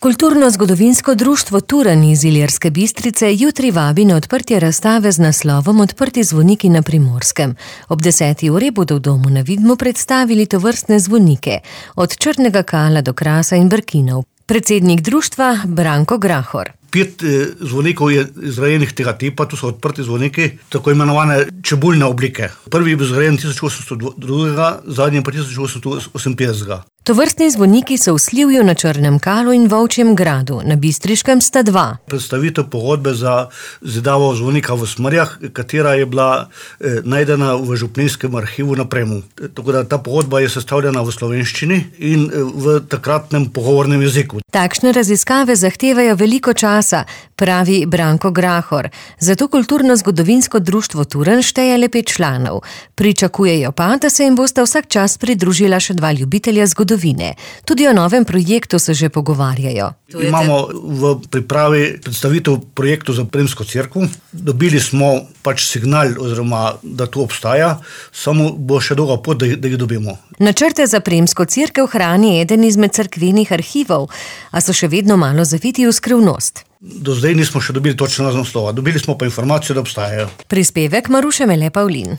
Kulturno-zgodovinsko društvo Turan iz Ilirske Bistrice jutri vabi na odprtje razstave z naslovom Odprti zvoniki na Primorskem. Ob 10. uri bodo v domu na Vidmu predstavili tovrstne zvonike, od Črnega Kala do Krasa in Brkinov. Predsednik društva Branko Grahor. 5 zvonikov je izgrajenih tega tipa, to so odprti zvoniki, tako imenovane čebuljne oblike. Prvi je bil zgrajen 1802, zadnji pa 1858. Tovrstni zvoniki so v Slivju, na Črnem Kalu in Volčjem Gradu, na Bistriškem sta 2. Predstavitev pogodbe za zidavo zvonika v Smrjah, katera je bila najdena v župnijskem arhivu na Premu. Tako da ta pogodba je sestavljena v slovenščini in v takratnem pogovornem jeziku. Takšne raziskave zahtevajo veliko časa, pravi Branko Grahor. Zato Kulturno-zgodovinsko društvo Turan šteje le 5 članov. Pričakujejo pa, da se jim bosta vsak čas pridružila še 2 ljubitelja zgodovine. Tudi o novem projektu se že pogovarjajo. Imamo v pripravi predstavitev projektu za Primsko cerkev. Dobili smo signal, oziroma da to obstaja, samo bo še dolga pot, da jih dobimo. Načrte za Primsko cerkev hrani eden izmed cerkvenih arhivov, a so še vedno malo zaviti v skrivnost. Do zdaj nismo še dobili točno naslova, dobili smo pa informacijo, da obstajajo. Prispevek Maruše Mele Pavlin.